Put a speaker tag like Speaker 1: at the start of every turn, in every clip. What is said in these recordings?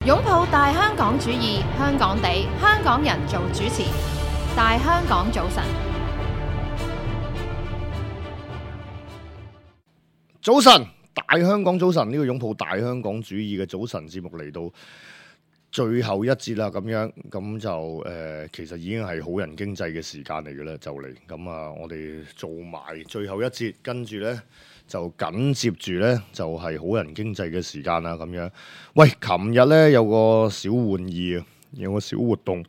Speaker 1: 擁抱大香港主義，香港地，香港人做主持。大香港早晨，
Speaker 2: 早晨，大香港早晨，呢個擁抱大香港主義嘅早晨節目嚟到最後一節啦，咁就其實已經係好人經濟嘅時間嚟嘅啦，就嚟咁啊！我哋做埋最後一節，跟住呢就緊接住呢就係好人經濟嘅時間啦，咁樣。喂，琴日呢有個小玩意啊，有個小活動，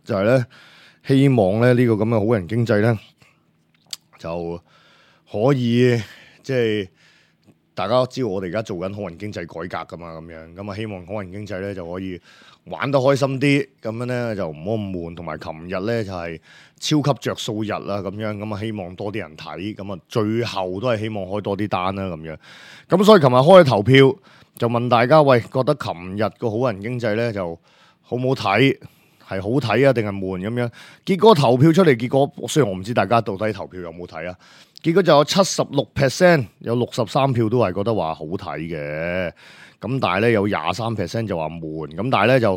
Speaker 2: 就係呢希望呢個咁嘅好人經濟呢就可以即係。大家都知道我哋而家做緊好人經濟改革噶嘛，咁啊希望好人經濟咧就可以玩得開心啲，咁樣咧就唔好咁悶。同埋琴日咧就係超級着數日啦，咁啊希望多啲人睇，咁啊最後都係希望開多啲單啦，咁樣。咁所以琴日開投票就問大家，喂，覺得琴日個好人經濟咧就好唔好睇？係好睇啊，定係悶咁樣？結果投票出嚟，結果雖然我唔知大家到底投票有冇睇啊，結果就有76%，有63票都係覺得話好睇嘅。咁但係咧有23%就話悶，咁但係咧就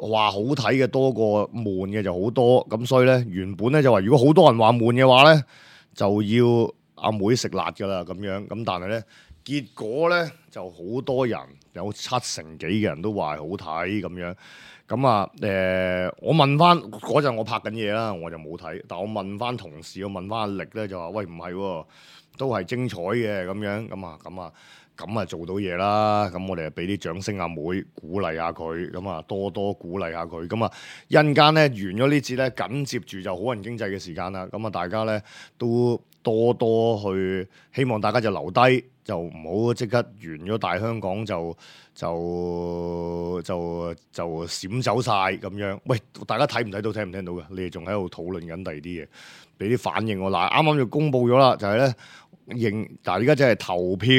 Speaker 2: 話好睇嘅多過悶嘅就好多。咁所以咧原本咧就話如果好多人話悶嘅話咧，就要阿妹食辣噶啦咁樣。咁但係咧結果咧就好多人有70%幾嘅人都話好睇咁樣。咁啊，我問翻嗰陣我拍緊嘢啦，我就冇睇。但我問翻同事，我問翻阿力咧，就話：喂，唔係喎，都係精彩嘅咁樣。咁啊做到嘢啦。咁我哋就俾啲掌聲阿妹，鼓勵下佢。咁啊多多鼓勵下佢。咁啊一陣間咧完咗呢節咧，緊接住就好人經濟嘅時間啦。咁啊大家咧都多多去，希望大家就留低。就唔好即刻完咗大香港就閃走晒咁樣。喂，大家睇唔睇到聽唔聽到嘅？你哋仲喺度討論緊第二啲嘢，俾啲反應我。嗱，啱啱就公佈咗啦，就係咧但係而家真係投票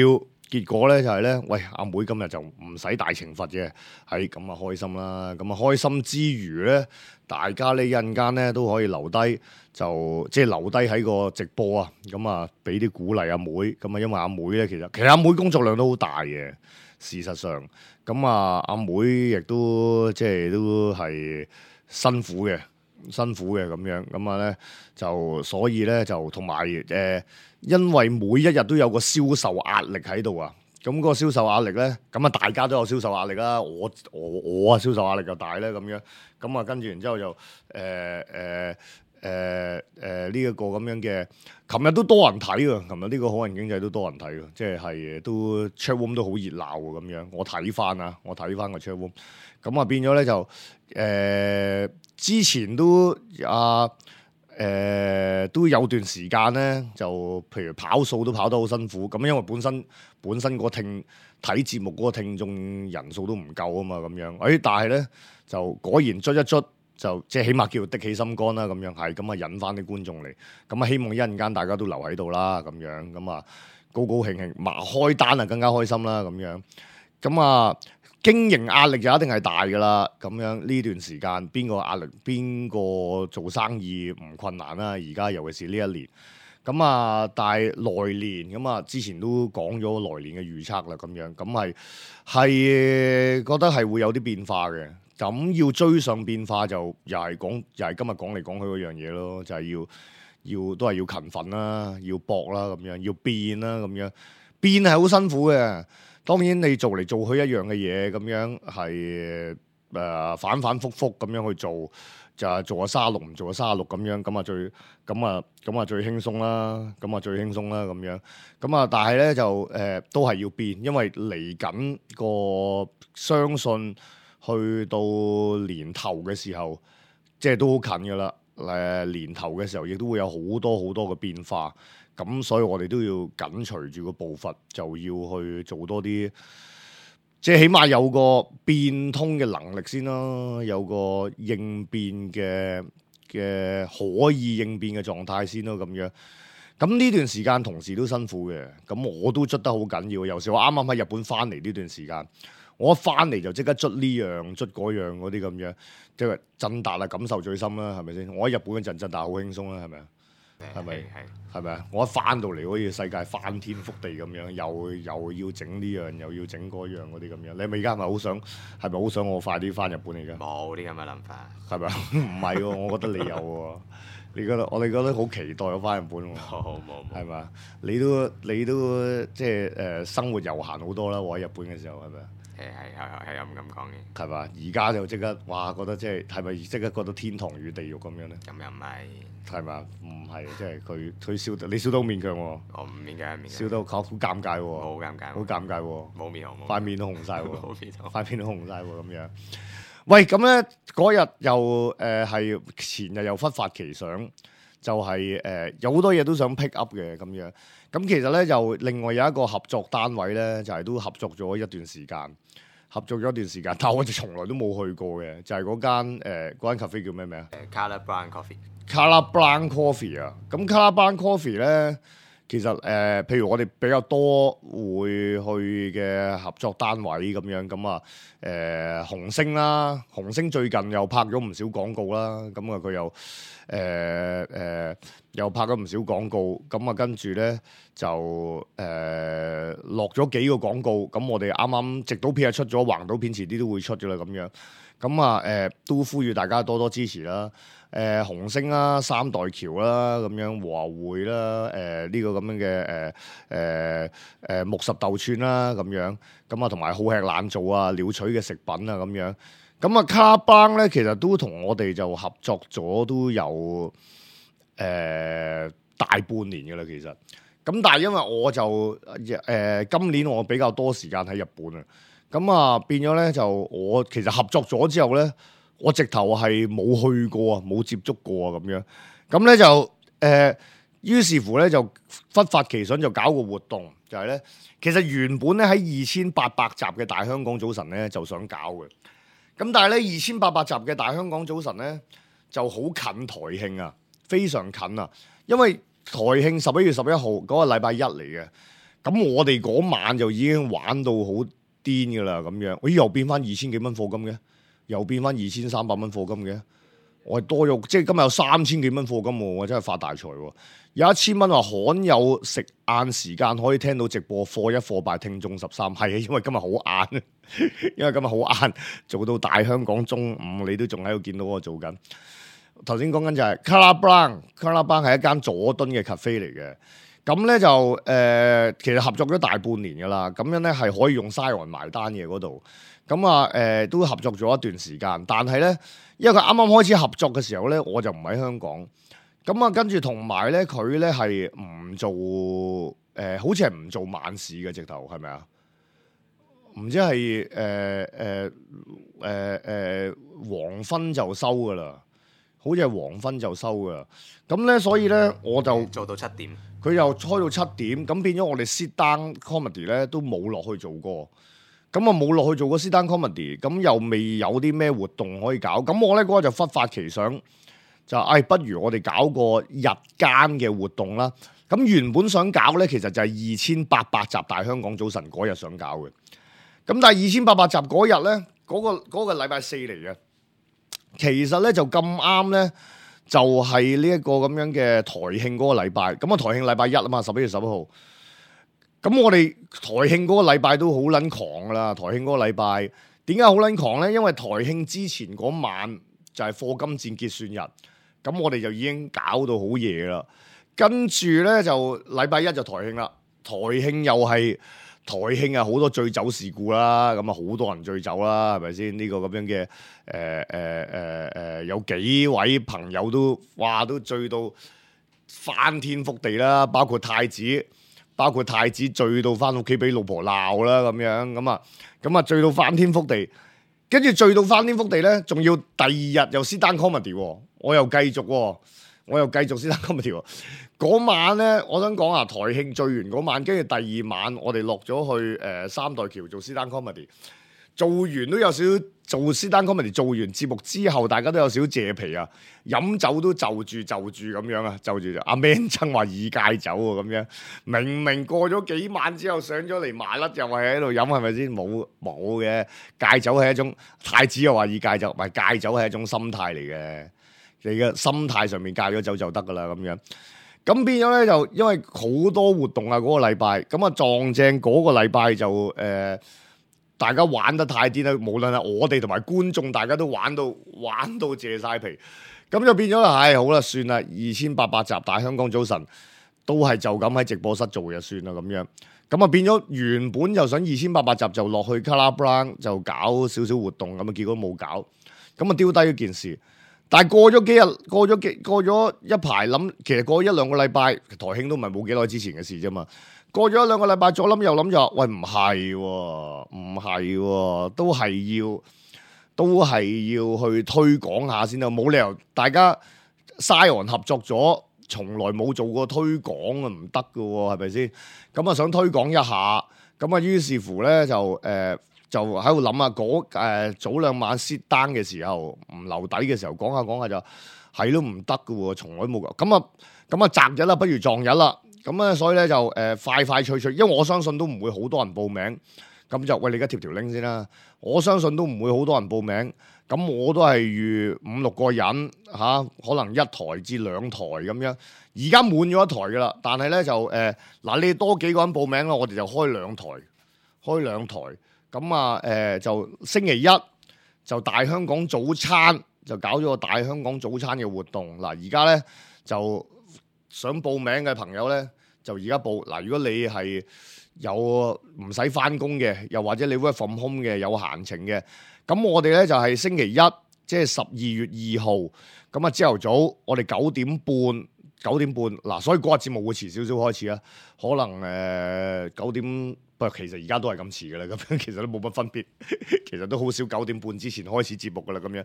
Speaker 2: 結果咧就係咧，喂，阿妹今日就唔使大懲罰嘅，係咁啊開心啦。咁啊開心之餘咧，大家呢一陣間咧都可以留低。就即係留低喺個直播啊，咁啊俾啲鼓勵阿妹，咁啊因為阿妹咧其實阿妹工作量都好大嘅，事實上，咁啊阿妹亦都即係都係辛苦嘅咁樣，咁啊咧就所以咧就同埋因為每一日都有個銷售壓力喺度啊，咁個銷售壓力咧，咁啊大家都有銷售壓力啦，我啊銷售壓力就大咧咁樣，咁啊跟住然之後就呢一個咁樣嘅，琴日都多人睇喎，琴日呢個好人經濟都多人睇喎，即係都 chat room 都好熱鬧喎咁樣。我睇翻個 chat room，咁啊變咗咧就之前都都有段時間咧，就譬如跑數都跑得好辛苦，咁因為本身個睇節目嗰個聽眾人數都唔夠啊嘛，咁樣，但係咧就果然捽一捽。就即係起碼叫的起心肝啦，咁樣係咁啊，引翻啲觀眾嚟，咁啊希望一陣間大家都留喺度啦，咁樣咁啊高高興興，開單啊更加開心啦，咁樣咁啊經營壓力就一定係大噶啦，咁樣呢段時間邊個壓力邊個做生意唔困難啦？而家尤其是呢一年，咁啊但係來年咁啊之前都講咗來年嘅預測啦，咁樣咁係覺得係會有啲變化嘅。咁要追上變化就又係今日講嚟講去嗰樣嘢咯，就係都係要勤奮啦，要搏啦咁樣，要變啦咁樣，變係好辛苦嘅。當然你做嚟做去一樣嘅嘢咁樣係反反覆覆咁樣去做，就係做下36唔做下36咁樣，咁啊最輕鬆啦，咁樣，咁啊但係咧就都係要變，因為嚟緊個相信。去到年頭嘅時候，即係都好近㗎啦。年頭嘅時候，亦都會有好多嘅變化。咁所以我哋都要緊隨住個步伐，就要去做多啲，即係起碼有個變通嘅能力先啦，有個應變嘅可以應變嘅狀態先咯，咁樣。咁呢段時間同事都辛苦嘅，咁我都捽得好緊要。有時我啱啱喺日本翻嚟呢段時間。我一翻嚟就即刻捽呢樣捽嗰樣嗰啲咁樣，即係振達啊感受最深啦，係咪先？我喺日本嗰陣振達好輕鬆啦，係咪啊？係咪？係咪啊？我一翻到嚟好似世界翻天覆地咁樣，又要整呢樣，又要整嗰樣嗰啲咁樣。你咪而家係咪好想我快啲翻日本嚟㗎？
Speaker 3: 冇啲咁嘅諗法，
Speaker 2: 係咪啊？唔係喎，我覺得你有喎。我哋覺得好期待我翻日本喎。
Speaker 3: 冇，
Speaker 2: 係咪啊？你都即係生活悠閒好多啦。我喺日本嘅時候係咪啊？
Speaker 3: 係咁講嘅。
Speaker 2: 係嘛？而家就即刻哇，覺得即係咪即刻覺得天堂與地獄咁樣咧？
Speaker 3: 咁又唔係，
Speaker 2: 係嘛？唔係，即係佢笑得，你笑得好勉強喎。
Speaker 3: 我唔勉強，
Speaker 2: 笑得好尷尬喎。
Speaker 3: 好尷尬，
Speaker 2: 好尷尬喎。
Speaker 3: 冇面紅，
Speaker 2: 塊面都紅晒喎。
Speaker 3: 冇面紅，
Speaker 2: 塊面都紅晒喎咁樣。喂，咁咧嗰日又係前日又忽發奇想，就係有好多嘢都想 pick up 嘅咁樣。咁其實咧就另外有一個合作單位咧，就係都合作咗一段時間。但我哋從來都冇去過嘅，就係嗰間 cafe 叫咩名啊
Speaker 3: ？Color Brown Coffee。Color
Speaker 2: Brown Coffee 啊，咁 Color Brown Coffee 咧，其實譬如我哋比較多會去嘅合作單位咁樣，咁啊紅星啦，紅星最近又拍咗唔少廣告啦，咁啊佢又拍咗唔少廣告，咁啊跟住咧就落咗幾個廣告，咁我哋啱啱直島片出咗，橫島片遲啲都會出咗啦咁樣，咁啊都呼籲大家多多支持啦。紅星啦、三代橋啦，咁樣和牛會啦，呢個咁樣嘅木十豆串啦，咁樣咁啊，同埋好吃懶做啊、鳥取嘅食品啊，咁樣咁啊，卡邦咧其實都同我哋就合作咗都有大半年嘅啦，其實咁但係因為我就今年我比較多時間喺日本啊，咁啊變咗咧就我其實合作咗之後咧。我直頭係冇去過啊，冇接觸過啊，咁樣咁咧就於是乎咧就忽發奇想就搞個活動，就係咧其實原本咧喺2800集嘅大香港早晨咧就想搞嘅，咁但係咧2800集嘅大香港早晨咧就好近台慶啊，非常近啊，因為台慶11月11號嗰個禮拜一嚟嘅，咁我哋嗰晚就已經玩到好癲噶啦，咁樣，咦又變翻2000幾蚊課金嘅？又變翻2300蚊課金嘅，我係多咗，即係今日有3000幾蚊課金喎，我真係發大財喎！有1000蚊話罕有食晏時間可以聽到直播，課一課拜聽眾13，係啊，因為今日好晏，因為今日好晏，做到大香港中午，你都仲喺度見到我做緊。頭先講緊就係 Color Brown 係一間佐敦嘅 cafe 嚟嘅，咁咧就其實合作咗大半年噶啦，咁樣咧係可以用 Siren 埋單嘅嗰度。咁啊，都合作咗一段時間，但係咧，因為佢啱啱開始合作嘅時候咧，我就唔喺香港。咁啊，跟住同埋咧，佢咧係唔做好似係唔做晚市嘅，直頭係咪啊？唔知係黃昏就收噶啦，好似係黃昏就收噶啦。咁咧，所以咧我就
Speaker 3: 做到7點，
Speaker 2: 佢又開到7點，咁變咗我哋 sit down comedy 咧都冇落去做過。咁啊冇落去做過 sit down comedy，咁又未有啲咩活動可以搞，咁我咧嗰日就忽發奇想，就不如我哋搞個日間嘅活動啦。咁原本想搞咧，其實就係2800集大香港早晨嗰日想搞嘅。咁但係2800集嗰日咧，嗰個禮拜4嚟嘅，其實咧就咁啱咧，就係呢一個咁樣嘅台慶嗰個禮拜。咁啊台慶禮拜一啊嘛，11月11號。咁我哋台慶嗰個禮拜都好撚狂噶啦，台慶嗰個禮拜點解好撚狂咧？因為台慶之前嗰晚就係課金戰結算日，咁我哋就已經搞到好夜啦。跟住咧就禮拜一就台慶啦，台慶又係台慶啊，好多醉酒事故啦，咁啊好多人醉酒啦，係咪先？呢個咁樣嘅有幾位朋友都醉到翻天覆地啦，包括太子醉到翻屋企俾老婆鬧啦，咁樣咁啊醉到翻天覆地，跟住醉到翻天覆地咧，仲要第二日又 sit down comedy，我又繼續 sit down comedy。嗰晚咧，我想講啊，台慶醉完嗰晚，跟住第二晚我哋落咗去三代橋做 sit down comedy， 做完都有少少做 sit down comedy， 做完節目之後，大家都有少少謝皮啊，飲酒都就住咁樣啊，就住阿 Man 曾話已戒酒喎，咁樣明明過咗幾晚之後上咗嚟麻甩，又係喺度飲，係咪先？冇嘅，戒酒係一種，太子又話已戒酒，唔係戒酒係一種心態嚟嘅，你嘅心態上面戒咗酒就得噶啦，咁樣。咁變咗咧就因為好多活動啊嗰個禮拜，咁啊撞正嗰個禮拜就大家玩得太癲啦，無論係我哋同埋觀眾，大家都玩到謝晒皮，咁就變咗啦，好啦，算啦，2800集大香港早晨都係就咁喺直播室做就算啦咁樣，咁啊變咗原本就想2800集就落去 Colorblind 就搞少少活動，咁啊結果冇搞，咁啊丟低咗件事。但係過咗一排諗，其實過咗1-2個禮拜，台慶都唔係冇幾耐之前嘅事啫嘛。過咗1-2個禮拜，左諗右諗就話，喂唔係喎，都係要去推廣下先啦，冇理由大家 Zion 合作咗，從來冇做過推廣啊，唔得㗎喎，係咪先？咁啊想推廣一下，咁啊於是乎咧就喺度諗啊，早2晚 sit down 嘅時候唔留底嘅時候講下就係都唔得㗎喎，從來冇咁啊擇日啦，不如撞日啦，咁啊所以咧就快脆，因為我相信都唔會好多人報名，咁就喂你而家貼條 link 先啦，我相信都唔會好多人報名，咁我都係預5-6個人可能1台至2台咁樣，而家滿咗1台㗎啦，但係咧就你多幾個人報名啦，我哋就開2台。咁啊，就星期一就大香港早餐就搞咗個大香港早餐嘅活動。嗱，而家咧就想報名嘅朋友咧，就而家報。嗱，如果你係有唔使返工嘅，又或者你 work from home 嘅，有閒情嘅，咁我哋咧就係星期一，即係12月2號。咁啊，朝頭早我哋9點半嗱，所以嗰日節目會遲少少開始啊，可能9點。不過其實而家都係咁遲嘅啦，咁樣其實都冇乜分別，其實都好少9點半之前開始節目嘅啦，咁樣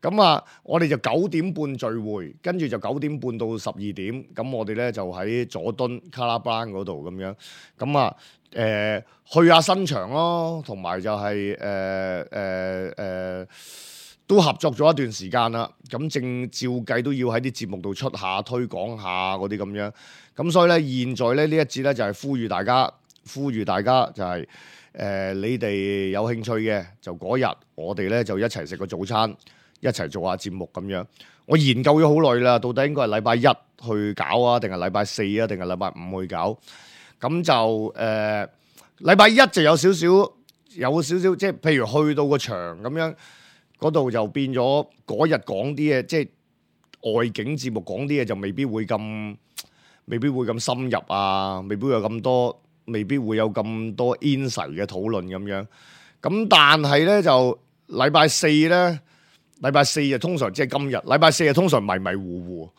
Speaker 2: 咁啊，我哋就9點半聚會，跟住就9點半到12點，咁我哋咧就喺佐敦 Colorblind 嗰度咁樣，咁啊去下新場咯，同埋就係都合作咗一段時間啦，咁正照計都要喺啲節目度出下推廣下嗰啲咁樣，咁所以咧現在咧呢一節咧就係呼籲大家就係你哋有興趣嘅就嗰日我哋咧就一齊食個早餐，一齊做下節目咁樣。我研究咗好耐啦，到底應該係禮拜1去搞啊，定係禮拜4啊，定係禮拜5去搞？咁就禮拜1就有少少，即係譬如去到個場咁樣，嗰度就變咗嗰日講啲嘢，即係外景節目講啲嘢就未必會咁深入啊，未必會有咁多 insight 嘅討論咁樣，咁但係咧就禮拜4就通常即係今日，禮拜4就通常迷迷糊糊，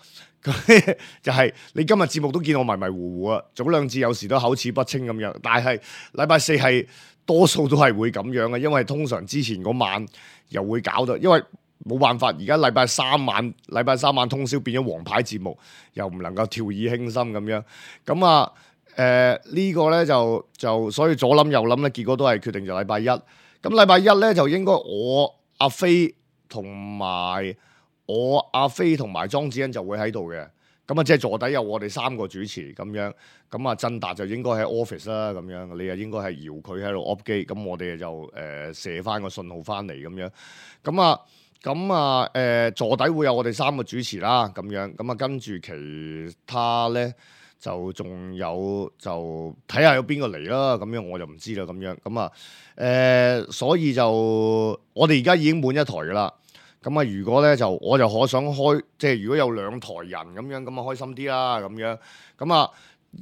Speaker 2: 就係你今日節目都見我迷迷糊糊啊，早2次有時都口齒不清咁樣，但係禮拜4係多數都係會咁樣嘅，因為通常之前嗰晚又會搞到，因為冇辦法，而家禮拜三晚通宵變咗王牌節目，又唔能夠掉以輕心咁樣，咁啊。呢個咧就所以左諗右諗咧，結果都係決定就禮拜1。咁禮拜1咧就應該我阿飛同埋莊子欣就會喺度嘅。咁啊即係坐底有我哋3個主持咁樣。咁啊振達就應該喺 office 啦咁樣，你啊應該係搖佢喺度 off 機。咁我哋就射翻個信號翻嚟咁樣。咁啊坐底會有我哋3個主持啦咁樣。咁啊跟住其他咧。就仲有就睇下有邊個嚟啦，咁樣我就唔知啦，咁樣咁啊所以就我哋而家已經滿1台噶啦，咁啊如果咧就我就可想開，即係如果有2台人咁樣，咁啊開心啲啦，咁樣咁啊，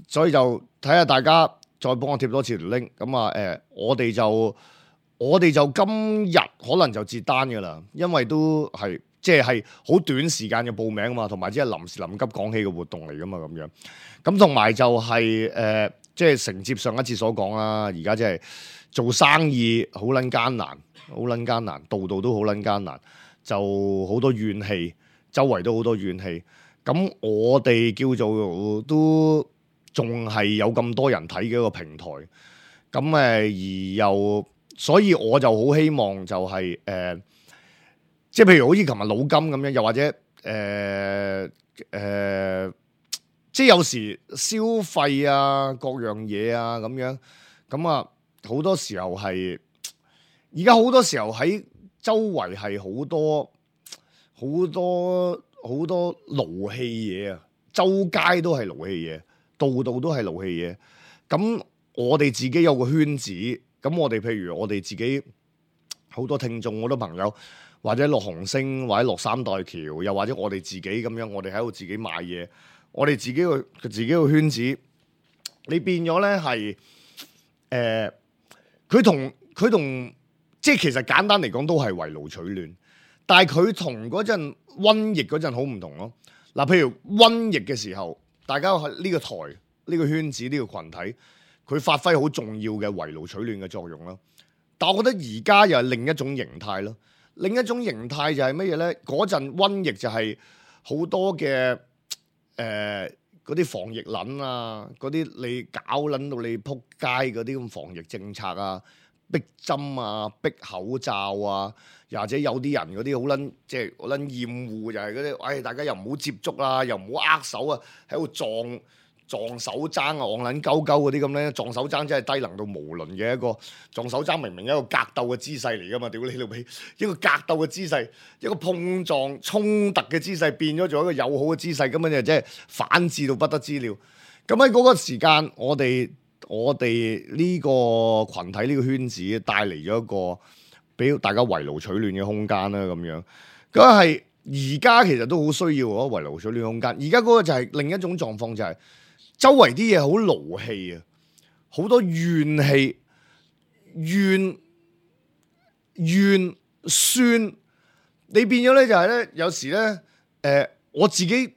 Speaker 2: 所以就睇下大家再幫我貼多次條 link，咁啊我哋就今日可能就截單噶啦，因為都係。即係好短時間嘅報名啊嘛，同埋即係臨時臨急講起嘅活動嚟噶嘛，咁樣咁同埋就係即係承接上一次所講啦，而家即係做生意好撚艱難，度度都好撚艱難，就好多怨氣，周圍都好多怨氣。咁我哋叫做都仲係有咁多人睇嘅一個平台，咁而又所以我就好希望就係即係譬如好似琴日老金咁樣，又或者即係有時消費啊各樣嘢啊咁樣，咁啊好多時候係而家好多時候喺周圍係好多勞氣嘢啊！周街都係勞氣嘢，度度都係勞氣嘢。咁我哋自己有個圈子，咁我哋譬如我哋自己好多聽眾、好多朋友，或者落紅星，或者落三代橋，又或者我哋自己咁樣，我哋喺度自己賣嘢，我哋自己個圈子，你變咗咧係佢同即係其實簡單嚟講都係圍爐取暖，但係佢同嗰陣瘟疫嗰陣好唔同咯。嗱，譬如瘟疫嘅時候，大家喺呢個台、呢個圈子、呢個群體，佢發揮好重要嘅圍爐取暖嘅作用啦。但我覺得而家又係另一種形態咯。另一種形態就係乜嘢咧？嗰陣瘟疫就係好多嘅嗰啲防疫撚啊，嗰啲你搞撚到你撲街嗰啲咁防疫政策啊，逼針啊，逼口罩啊，又或者有啲人嗰啲好撚即係好撚厭惡，就係嗰啲，大家又唔好接觸啦，又唔好握手啊，喺度撞手踭啊，戇撚鳩鳩嗰啲咁咧，撞手踭真係低能到無倫嘅一個撞手踭，明明一個格鬥嘅姿勢嚟噶嘛，屌你老味，一個格鬥嘅姿勢，一個碰撞衝突嘅姿勢變咗做一個友好嘅姿勢，咁樣就真係反智到不得之了。咁喺嗰個時間，我哋呢個群體呢個圈子帶嚟咗一個俾大家圍爐取暖嘅空間啦，咁樣咁係而家其實都好需要嗰圍爐取暖空間。而家嗰個就係另一種狀況，就係周圍啲嘢好勞氣啊，好多怨氣、怨酸。你變咗咧就係咧，有時咧我自己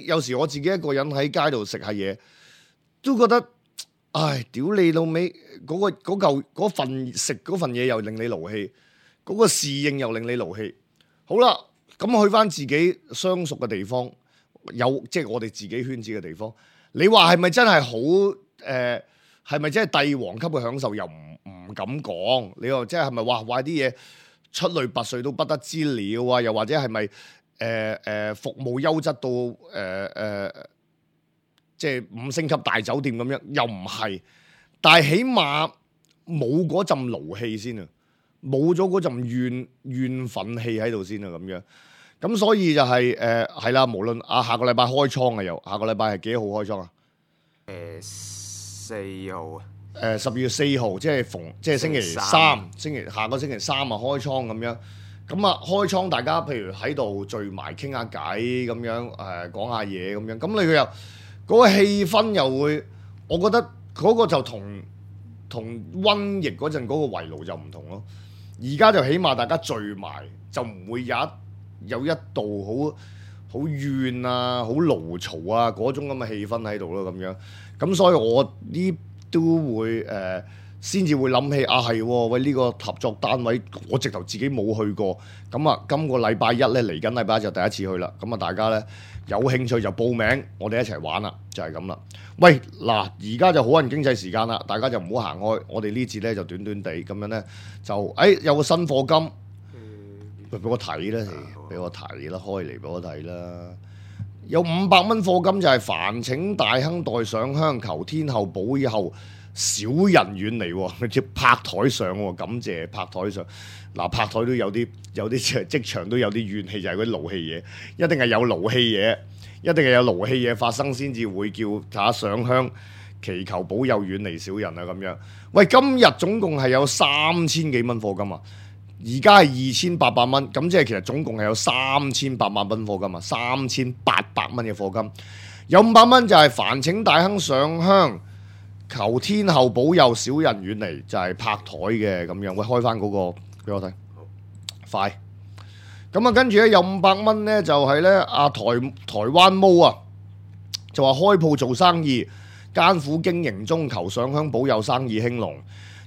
Speaker 2: 有時我自己一個人喺街度食下嘢，都覺得唉，屌你老味，嗰份食嗰份嘢又令你勞氣，嗰個侍應又令你勞氣。好啦，咁去翻自己相熟嘅地方，即係我哋自己圈子嘅地方。你話係咪真係好？係咪真係帝王級嘅享受？又唔敢講。你話即係咪話啲嘢出類拔萃都不得之了啊？又或者係咪服務優質到即係5星級大酒店咁樣？又唔係。但係起碼冇嗰陣勞氣先啊，冇咗嗰陣怨憤氣喺度先啊，咁樣。咁所以就係啦，無論下個禮拜開倉啊，又下個禮拜係幾號開倉啊
Speaker 3: ？4號啊。
Speaker 2: 12月4號，即係星期三，下個星期三啊開倉咁樣。咁啊開倉，大家譬如喺度聚埋傾下偈咁樣，講下嘢咁樣。咁你又嗰個氣氛又會，我覺得嗰個就同瘟疫嗰陣嗰個圍爐就唔同咯。而家就起碼大家聚埋，就唔會有一度好怨啊、好勞嘈啊嗰種咁嘅氣氛喺度咯，咁樣。咁所以我呢都會先至會諗起係喂，呢個合作單位我直頭自己冇去過。咁啊，今個禮拜一咧，嚟緊禮拜一就第一次去啦。咁啊，大家咧有興趣就報名，我哋一齊玩啦，就係咁啦。喂，嗱，而家就好人經濟時間啦，大家就唔好行開。我哋呢節咧就短短地咁樣咧，就有個新課金。俾我睇啦，俾我睇啦，開嚟俾我睇啦。有500蚊課金就係煩請大亨代上香，求天后保佑小人遠離喎，即拍台上喎，感謝拍台上。嗱，拍台都有啲職場都有啲怨氣，就係嗰啲勞氣嘢，一定係有勞氣嘢，一定係有勞氣嘢發生先至會叫大家上香祈求保佑遠離小人啊咁樣。喂，今日總共係有3000幾蚊課金啊！而家係2800蚊，咁即係其實總共係有3800萬蚊課金啊，3800蚊嘅課金，有500蚊就係煩請大亨上香，求天后保佑小人遠離，就係拍台嘅咁樣。喂，開翻嗰個俾我睇，快！咁啊，跟住咧有500蚊咧，就係咧台灣毛啊，就話開鋪做生意，艱苦經營中，求上香保佑生意興隆。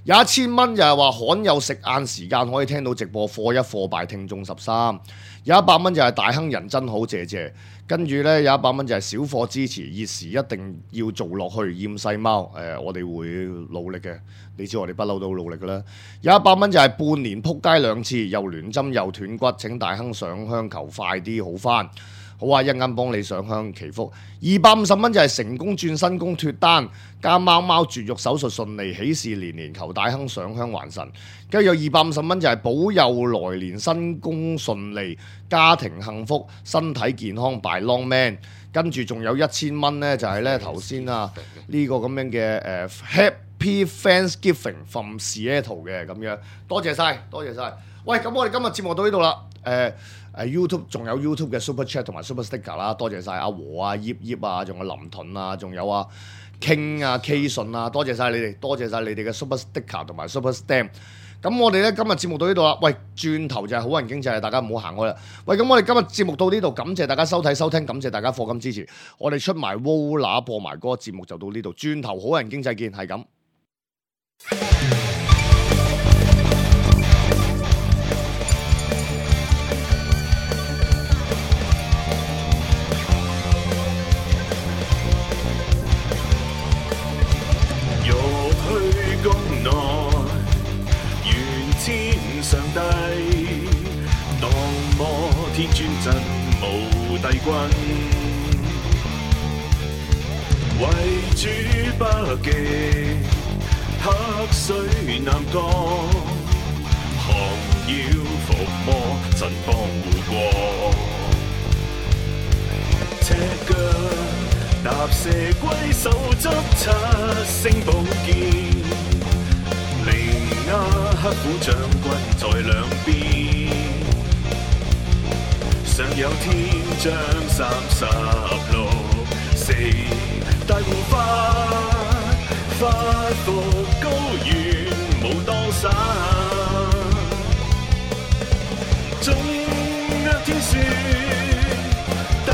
Speaker 2: 有1000蚊就係話罕有食晏時間可以聽到直播，課一課敗聽眾13。有100蚊就係大亨人真好，謝謝。跟住咧有100蚊就係小貨支持，熱時一定要做落去，厭世貓。我哋會努力嘅，你知我哋不嬲都好努力噶啦。有100蚊就係半年撲街2次，又亂針又斷骨，請大亨上香求快啲好翻。好啊，一陣間幫你上香祈福。250蚊就係成功轉新工脫單，加貓貓絕育手術順利，喜事連連求大亨上香還神。跟住有250蚊就係保佑來年新工順利，家庭幸福，身體健康 by long man。跟住仲有1000蚊呢，就係呢頭先啊呢個咁樣嘅Happy Thanksgiving from Seattle 嘅咁樣，多謝晒，多謝晒。喂，咁我哋今日節目到呢度啦。YouTube 仲有 YouTube 嘅 Super Chat 同埋 Super Sticker 啦，多謝晒阿和啊、葉葉啊，仲有林盾啊，仲有啊 King 啊、K 信啊，多謝晒你哋，多謝晒你哋嘅 Super Sticker 同埋 Super Stamp。咁我哋咧今日節目到呢度啦。喂，轉頭就係好人經濟，大家唔好行開啦。喂，咁我哋今日節目到呢度，感謝大家收睇收聽，感謝大家課金支持。我哋出埋 Wola 播埋歌，節目就到呢度。轉頭好人經濟見，係咁。
Speaker 4: 上帝當摩天尊真無帝君，為主北極黑水南降，降妖伏魔神幫護國，赤腳踏蛇龜手執7星寶劍。黑虎將軍在兩邊，上有天將36四大護法，發服高原武當山，中厄天書踏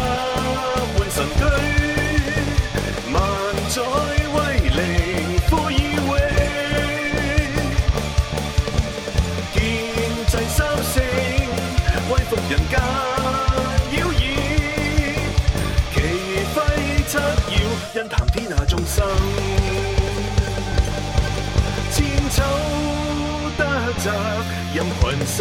Speaker 4: 換神居，萬載威靈富以榮。威服人間妖異，旗揮七曜，因談天下眾生，千秋得責任群生。